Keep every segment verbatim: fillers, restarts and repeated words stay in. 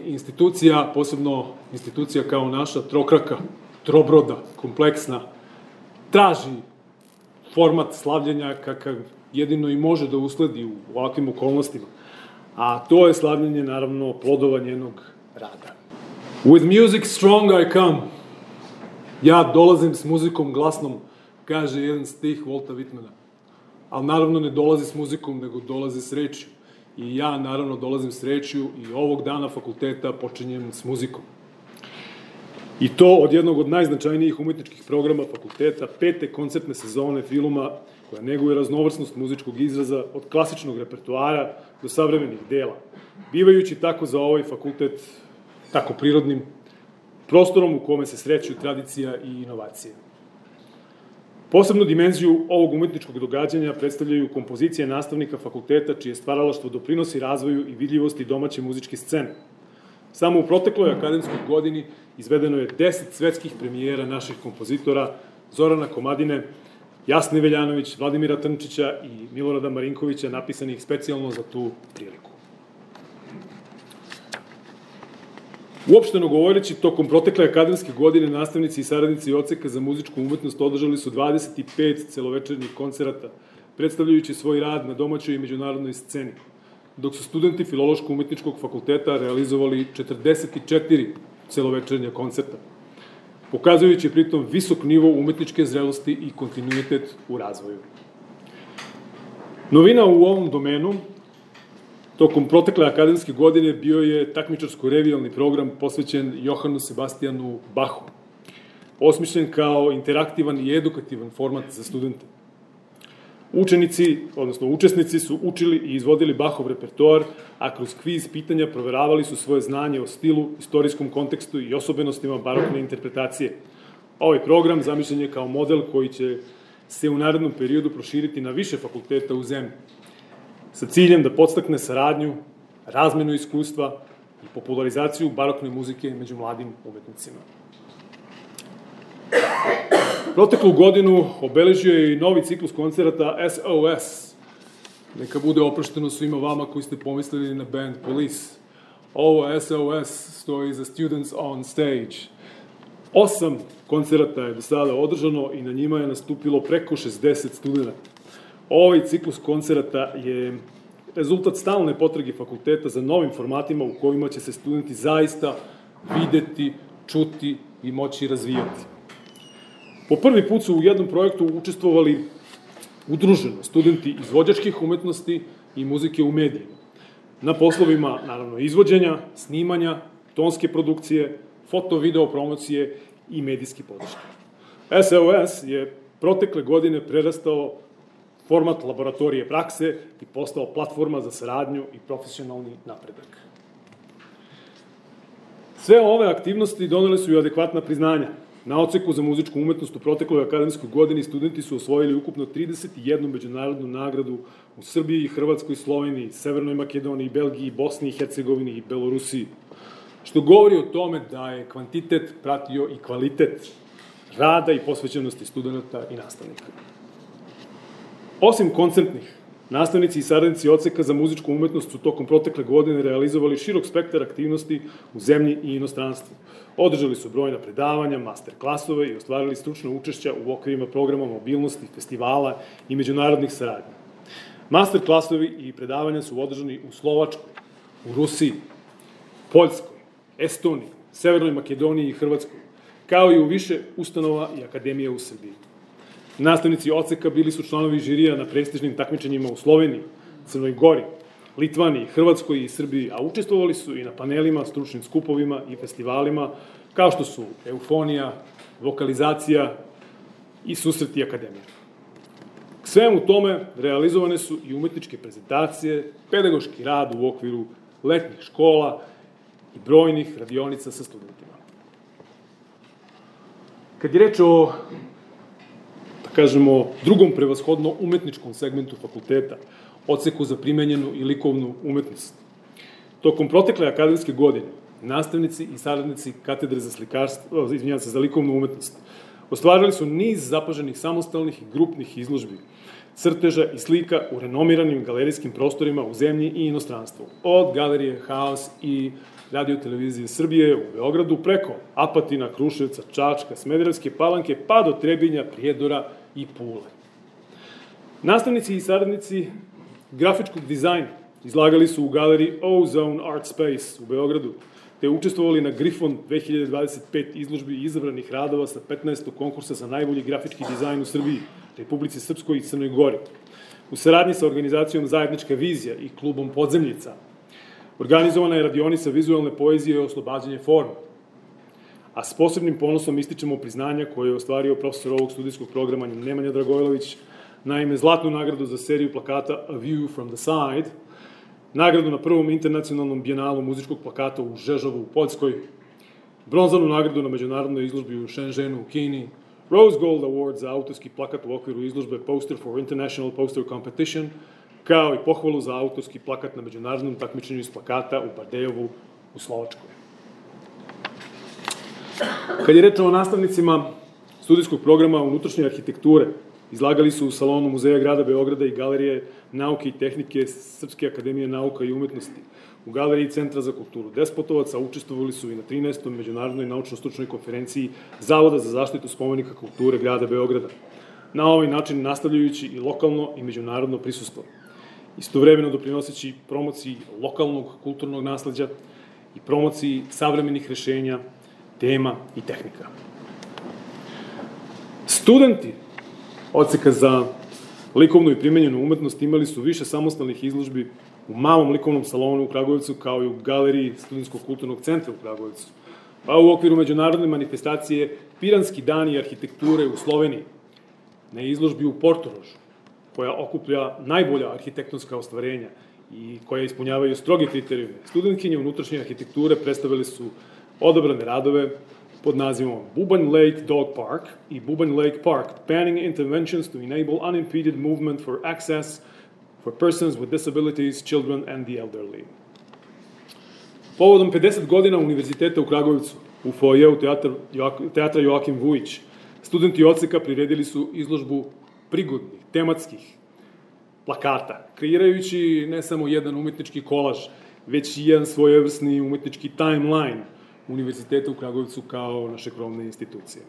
institucija, posebno institucija kao naša, trokraka, trobroda, kompleksna, traži format slavljenja kakav jedino i može da usledi u ovakvim okolnostima. A to je slavljenje, naravno, plodova njenog rada. With music strong I come. Ja dolazim s muzikom glasnom, kaže jedan stih Volta Whitmana. Ali naravno ne dolazi s muzikom, nego dolazi s rečju. I ja naravno dolazim s rečju i ovog dana fakulteta počinjem s muzikom. I to od jednog od najznačajnijih umetničkih programa fakulteta, pete koncertne sezone filma koja neguje raznovrsnost muzičkog izraza od klasičnog repertoara do savremenih dela, bivajući tako za ovaj fakultet tako prirodnim prostorom u kome se sreću tradicija i inovacije. Posebnu dimenziju ovog umetničkog događanja predstavljaju kompozicije nastavnika fakulteta čije stvaralaštvo doprinosi razvoju i vidljivosti domaće muzičke scene. Samo u protekloj akademskoj godini izvedeno je deset svetskih premijera naših kompozitora Zorana Komadine, Jasne Veljanović, Vladimira Trnčića i Milorada Marinkovića, napisanih specijalno za tu priliku. Uopšteno govoreći, tokom protekle akademske godine nastavnici i saradnici odseka za muzičku umetnost održali su dvadeset pet celovečernjih koncerata, predstavljajući svoj rad na domaćoj i međunarodnoj sceni, dok su studenti Filološko-umetničkog fakulteta realizovali četrdeset četiri celovečernja koncerta, pokazujući pritom visok nivo umetničke zrelosti i kontinuitet u razvoju. Novina u ovom domenu tokom protekle akademske godine bio je takmičarsko-revijalni program posvećen Johanu Sebastijanu Bachu, osmišljen kao interaktivan i edukativan format za studente. Učenici, odnosno učesnici, su učili i izvodili Bachov repertoar, a kroz kviz pitanja proveravali su svoje znanje o stilu, istorijskom kontekstu i osobenostima barokne interpretacije. Ovaj program zamišljen je kao model koji će se u narednom periodu proširiti na više fakulteta u zemlji, sa ciljem da podstakne saradnju, razmenu iskustva i popularizaciju barokne muzike među mladim umetnicima. Proteklu godinu obeležio je i novi ciklus koncerata S O S. Neka bude oprošteno svima vama koji ste pomislili na band Police. Ovo S O S stoji za Students on Stage. Osam koncerata je do sada održano i na njima je nastupilo preko šezdeset studenta. Ovaj ciklus koncerata je rezultat stalne potrage fakulteta za novim formatima u kojima će se studenti zaista videti, čuti i moći razvijati. Po prvi put su u jednom projektu učestvovali udruženo studenti izvođačkih umetnosti i muzike u medijima, na poslovima, naravno, izvođenja, snimanja, tonske produkcije, foto-video promocije i medijski podrške. S O S je protekle godine prerastao format laboratorije prakse i postao platforma za saradnju i profesionalni napredak. Sve ove aktivnosti donele su i adekvatna priznanja. Na odseku za muzičku umetnost u protekloj akademskoj godini studenti su osvojili ukupno trideset jednu međunarodnu nagradu u Srbiji, Hrvatskoj, Sloveniji, Severnoj Makedoniji, Belgiji, Bosni i Hercegovini i Belorusiji, što govori o tome da je kvantitet pratio i kvalitet rada i posvećenosti studenta i nastavnika. Osim koncertnih, nastavnici i saradnici odseka za muzičku umetnost su tokom protekle godine realizovali širok spektar aktivnosti u zemlji i inostranstvu. Održali su brojna predavanja, master klasove i ostvarili stručno učešća u okvirima programa mobilnosti, festivala i međunarodnih saradnja. Master klasovi i predavanja su održani u Slovačkoj, u Rusiji, Poljskoj, Estoniji, Severnoj Makedoniji i Hrvatskoj, kao i u više ustanova i akademija u Srbiji. Nastavnici odseka bili su članovi žirija na prestižnim takmičenjima u Sloveniji, Crnoj Gori, Litvaniji, Hrvatskoj i Srbiji, a učestvovali su i na panelima, stručnim skupovima i festivalima, kao što su Eufonija, Vokalizacija i Susreti akademije. K svemu tome realizovane su i umetničke prezentacije, pedagoški rad u okviru letnjih škola i brojnih radionica sa studentima. Kad je reč o, da kažemo, drugom prevashodno umetničkom segmentu fakulteta, odseku za primenjenu i likovnu umetnost, tokom protekle akademske godine nastavnici i saradnici katedre za slikarstvo, izvinjavam se, za likovnu umetnost, ostvarili su niz zapaženih samostalnih i grupnih izložbi, crteža i slika u renomiranim galerijskim prostorima u zemlji i inostranstvu, od galerije Haos i Radio-televizije Srbije u Beogradu, preko Apatina, Kruševca, Čačka, Smederevske Palanke, pa do Trebinja, Prijedora i Pule. Nastavnici i saradnici grafičkog dizajna izlagali su u galeriji Ozone Art Space u Beogradu, te učestvovali na Grifon dve hiljade dvadeset pet izložbi izabranih radova sa petnaestog konkursa za najbolji grafički dizajn u Srbiji, Republici Srpskoj i Crnoj Gori, u saradnji sa organizacijom Zajednička vizija i klubom Podzemljica. Organizovana je radionica vizualne poezije i oslobađanje forma, a s posebnim ponosom ističemo priznanja koje je ostvario profesor ovog studijskog programa Nemanja Dragojlović, naime zlatnu nagradu za seriju plakata A View from the Side, nagradu na prvom internacionalnom bijenalu muzičkog plakata u Žežovu u Poljskoj, bronzanu nagradu na međunarodnoj izložbi u Shenzhenu u Kini, Rose Gold Award za autorski plakat u okviru izložbe Poster for International Poster Competition, kao i pohvalu za autorski plakat na međunarodnom takmičenju iz plakata u Bardejovu u Slovačkoj. Kad je reč o nastavnicima studijskog programa unutrašnje arhitekture, izlagali su u salonu Muzeja grada Beograda i Galerije nauke i tehnike Srpske akademije nauka i umetnosti. U Galeriji Centra za kulturu Despotovac, a učestvovali su i na trinaestoj međunarodnoj naučno-stručnoj konferenciji Zavoda za zaštitu spomenika kulture grada Beograda, na ovaj način nastavljajući i lokalno i međunarodno prisustvo, istovremeno doprinoseći promociji lokalnog kulturnog nasleđa i promociji savremenih rešenja, tema i tehnika. Studenti odseka za likovnu i primenjenu umetnost imali su više samostalnih izložbi u malom likovnom salonu u Kragujevcu, kao i u galeriji Studentskog kulturnog centra u Kragujevcu, pa u okviru međunarodne manifestacije Piranski dani arhitekture u Sloveniji, na izložbi u Portorožu, koja okuplja najbolja arhitektonska ostvarenja i koja ispunjavaju stroge kriterijume. Studentkinje unutrašnje arhitekture predstavili su odabrane radove pod nazivom Bubanj Lake Dog Park i Bubanj Lake Park, Planning Interventions to Enable Unimpeded Movement for Access for Persons with Disabilities, Children and the Elderly. Povodom pedeset godina Univerziteta u Kragujevcu, u foajeu teatra Joakim Vujić, studenti odseka priredili su izložbu prigodnih, tematskih plakata, kreirajući ne samo jedan umetnički kolaž, već i jedan svojevrsni umetnički timeline Univerziteta u Kragujevcu kao naše krovne institucije.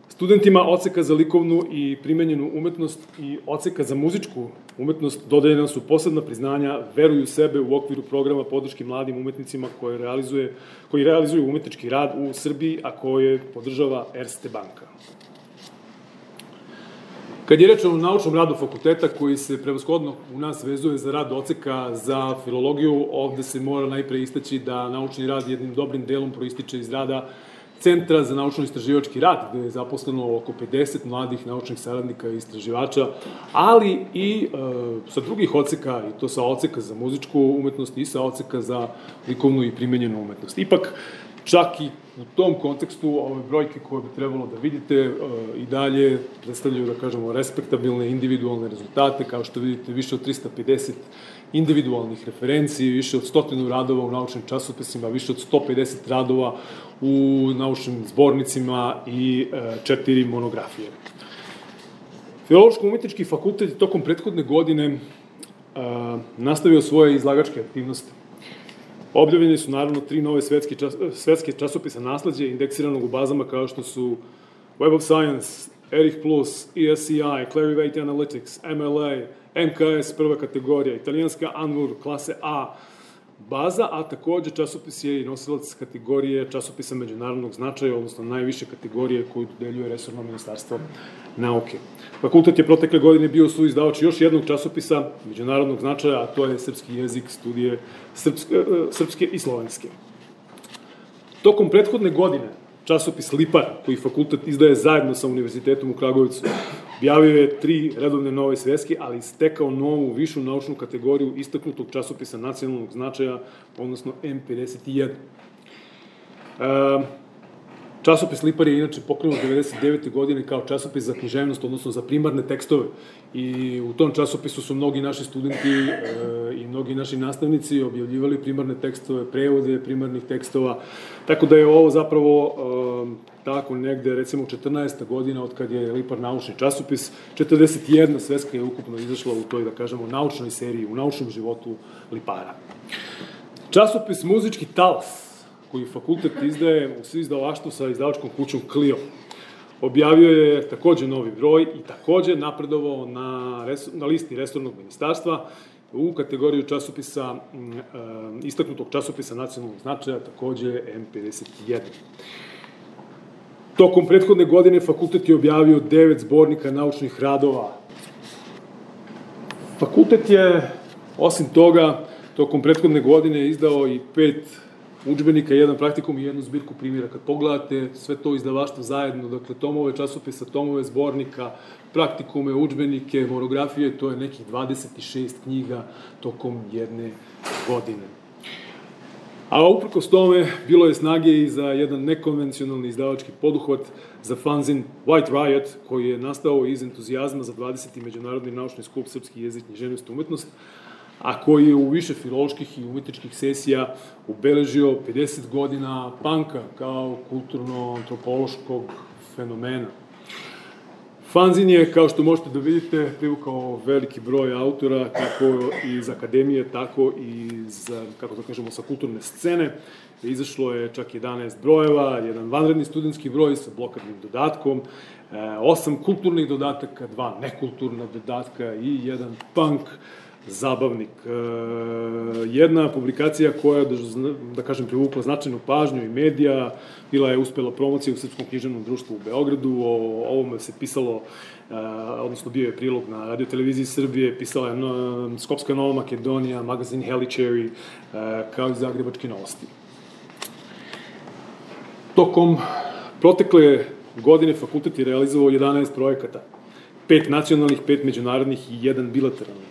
Studentima odseka za likovnu i primenjenu umetnost i odseka za muzičku umetnost dodeljena su posebna priznanja Veruju sebe u okviru programa podrške mladim umetnicima koji realizuje, koji realizuju umetnički rad u Srbiji, a koje podržava Erste banka. Kad je reč o naučnom radu fakulteta, koji se prevashodno u nas vezuje za rad odseka za filologiju, ovde se mora najpre istaći da naučni rad jednim dobrim delom proističe iz rada Centra za naučno-istraživački rad, gde je zaposleno oko pedeset mladih naučnih saradnika i istraživača, ali i e, sa drugih odseka, i to sa odseka za muzičku umetnost i sa odseka za likovnu i primenjenu umetnost. Ipak, čak i u tom kontekstu ove brojke koje bi trebalo da vidite e, i dalje predstavljaju, da kažemo, respektabilne individualne rezultate, kao što vidite više od trista pedeset individualnih referenciji, više od stotinu radova u naučnim časopisima, više od sto pedeset radova u naučnim zbornicima i e, četiri monografije. Filološko-umetnički fakultet tokom prethodne godine e, nastavio svoje izlagačke aktivnosti. Objavljeni su naravno tri nove svetske, čas, svetske časopisa nasleđe indeksiranog u bazama kao što su Web of Science, Erich Plus, E S C I, Clarivate Analytics, M L A, M K S prva kategorija, italijanska Anvur klase A baza, a takođe časopis je i nosilac kategorije časopisa međunarodnog značaja, odnosno najviše kategorije koju dodeljuje resorno ministarstvo nauke. Fakultet je protekle godine bio suizdavač još jednog časopisa međunarodnog značaja, a to je srpski jezik, studije srpske, srpske i slovenske. Tokom prethodne godine časopis Lipar, koji fakultet izdaje zajedno sa Univerzitetom u Kragujevcu, objavio je tri redovne nove sveske, ali stekao novu, višu naučnu kategoriju istaknutog časopisa nacionalnog značaja, odnosno M pedeset jedan. E, časopis Lipar je inače pokrenut devedeset devete godine kao časopis za književnost, odnosno za primarne tekstove. I u tom časopisu su mnogi naši studenti e, i mnogi naši nastavnici objavljivali primarne tekstove, prevode primarnih tekstova, tako da je ovo zapravo e, tako negde, recimo, četrnaesta godina od kad je Lipar naučni časopis, četrdeset jedna sveska je ukupno izašla u toj, da kažemo, naučnoj seriji, u naučnom životu Lipara. Časopis Muzički talas, koji fakultet izdaje u izdavaštvu sa izdavačkom kućom Clio. Objavio je takođe novi broj i takođe napredovao na, na listi resornog ministarstva u kategoriju časopisa, istaknutog časopisa nacionalnog značaja, takođe M pedeset jedan. Tokom prethodne godine fakultet je objavio devet zbornika naučnih radova. Fakultet je, osim toga, tokom prethodne godine izdao i pet udžbenika, jedan praktikum i jednu zbirku primjera. Kad pogledate sve to izdavaštvo zajedno, dakle, tomove časopisa, tomove zbornika, praktikume, udžbenike, monografije, to je nekih dvadeset šest knjiga tokom jedne godine. A uprkos tome, bilo je snage i za jedan nekonvencionalni izdavački poduhvat za fanzin White Riot, koji je nastao iz entuzijazma za dvadeseti međunarodni naučni skup Srpski jezik, književnost i umetnost, a koji je u više filoloških i umetničkih sesija ubeležio pedeset godina panka kao kulturno-antropološkog fenomena. Fanzin je, kao što možete da vidite, privukao veliki broj autora, kako iz akademije, tako i iz, kako da kažemo, sa kulturne scene. Izašlo je čak jedanaest brojeva, jedan vanredni studentski broj sa blokadnim dodatkom, osam kulturnih dodataka, dva nekulturna dodatka i jedan punk zabavnik. Jedna publikacija koja, da kažem, privukla značajnu pažnju i medija, bila je uspela promocija u Srpskom književnom društvu u Beogradu, o ovome se pisalo, odnosno bio je prilog na radioteleviziji Srbije, pisala je Skopska Nova Makedonija, magazin Heličeri, kao i Zagrebačke novosti. Tokom protekle godine fakultet je realizovao jedanaest projekata, pet nacionalnih, pet međunarodnih i jedan bilateralni.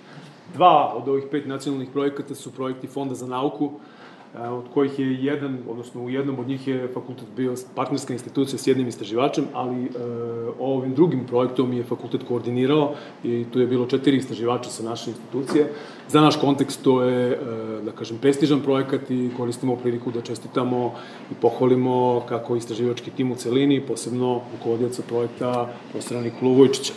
Dva od ovih pet nacionalnih projekata su projekti Fonda za nauku, od kojih je jedan, odnosno u jednom od njih je fakultet bio partnerska institucija s jednim istraživačem, ali ovim drugim projektom je fakultet koordinirao i tu je bilo četiri istraživača sa naše institucije. Za naš kontekst to je, da kažem, prestižan projekat i koristimo priliku da čestitamo i pohvalimo kako istraživački tim u celini, posebno rukovodioca projekta profesora Nikolu Vujčića.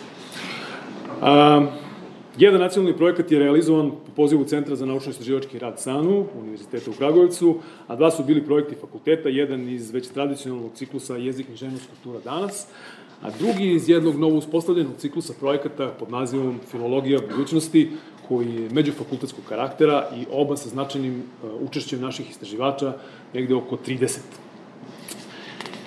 Jedan nacionalni projekat je realizovan po pozivu Centra za naučno-istraživački rad SANU, Univerziteta u Kragujevcu, a dva su bili projekti fakulteta, jedan iz već tradicionalnog ciklusa Jezik, književnost, kultura danas, a drugi iz jednog novo uspostavljenog ciklusa projekata pod nazivom Filologija budućnosti, koji je međufakultetskog karaktera i oba sa značajnim učešćem naših istraživača, negde oko trideset.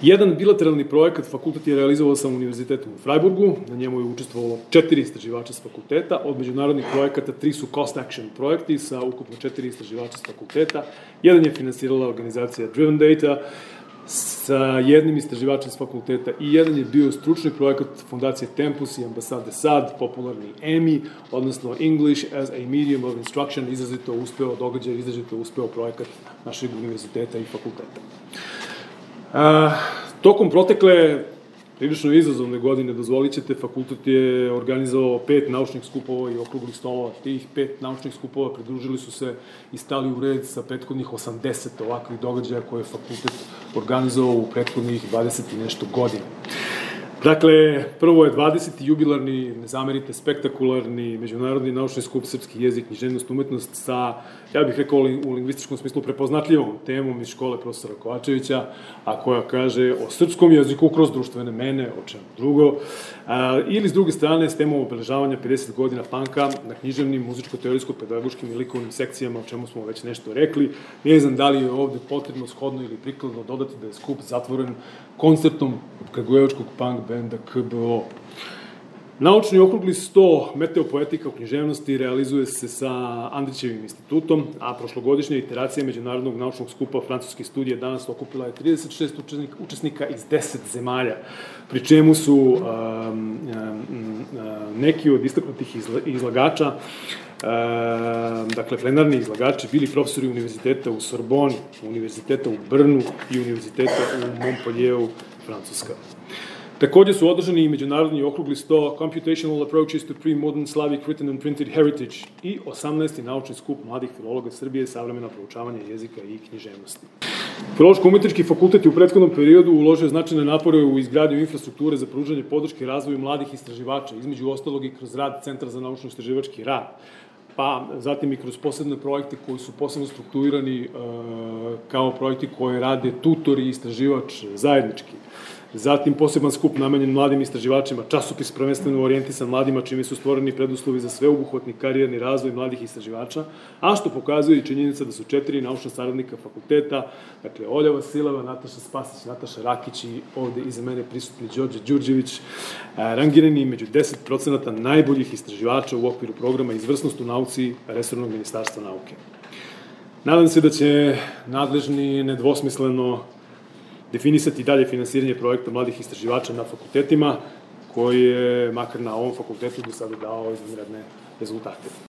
Jedan bilateralni projekat fakultet je realizovao sa Univerzitetom u Freiburgu, na njemu je učestvovalo četiri istraživača s fakulteta, od međunarodnih projekata tri su cost action projekti sa ukupno četiri istraživača s fakulteta, jedan je finansirala organizacija Driven Data sa jednim istraživačem s fakulteta i jedan je bio stručni projekat Fondacije Tempus i ambasade S A D, popularni E M I, odnosno English as a Medium of Instruction, izrazito uspeo događaj, izrazito uspeo projekat našeg univerziteta i fakulteta. Uh, tokom protekle prilično izazovne godine, dozvolit ćete, fakultet je organizovao pet naučnih skupova i okruglih stolova. Tih pet naučnih skupova pridružili su se i stali u red sa prethodnih osamdeset ovakvih događaja koje je fakultet organizovao u prethodnih dvadeset i nešto godina. Dakle, prvo je dvadeseti jubilarni, ne zamerite, spektakularni međunarodni naučni skup Srpski jezik, književnost, umetnost sa, ja bih rekao u lingvističkom smislu, prepoznatljivom temom iz škole profesora Kovačevića, a koja kaže o srpskom jeziku kroz društvene mene, o čemu drugo, a, ili s druge strane s temom obeležavanja pedeset godina panka na književnim, muzičko-teorijsko-pedagoškim i likovnim sekcijama, o čemu smo već nešto rekli. Ne znam da li je ovde potrebno, shodno ili prikladno dodati da je skup zatvoren koncertom kragujevačkog punk benda K B O. Naučni okrugli sto meteopoetika u književnosti realizuje se sa Andrićevim institutom, a prošlogodišnja iteracija Međunarodnog naučnog skupa francuske studije danas okupila je trideset šest učesnika iz deset zemalja, pri čemu su um, um, neki od istaknutih izlagača, um, dakle plenarni izlagači, bili profesori univerziteta u Sorboni, univerziteta u Brnu i univerziteta u Montpellieru, Francuska. Takođe su održani i međunarodni okrugli sto Computational Approaches to Pre-Modern Slavic Written and Printed Heritage i osamnaesti naučni skup mladih filologa Srbije, savremena proučavanja jezika i književnosti. Filološko-umetnički fakultet je u prethodnom periodu uložio značajne napore u izgradnju infrastrukture za pružanje podrške razvoju mladih istraživača, između ostalog i kroz rad Centra za naučno-istraživački rad. pa zatim i kroz posebne projekte koji su posebno strukturirani kao projekti koje rade tutori i istraživač zajednički. Zatim poseban skup namenjen mladim istraživačima, časopis prvenstveno orijentisan mladima, čime su stvoreni preduslovi za sveobuhvatni karijerni razvoj mladih istraživača, a što pokazuje i činjenica da su četiri naučna saradnika fakulteta, dakle Olja Vasileva, Nataša Spasić, Nataša Rakić i ovde iza mene prisutni Đorđe Đurđević, rangirani među deset procenata najboljih istraživača u okviru programa Izvrsnost u nauci Resornog ministarstva nauke. Nadam se da će nadležni nedvosmisleno definisati dalje finansiranje projekta mladih istraživača na fakultetima, koji je, makar na ovom fakultetu, do sada dao izvanredne rezultate.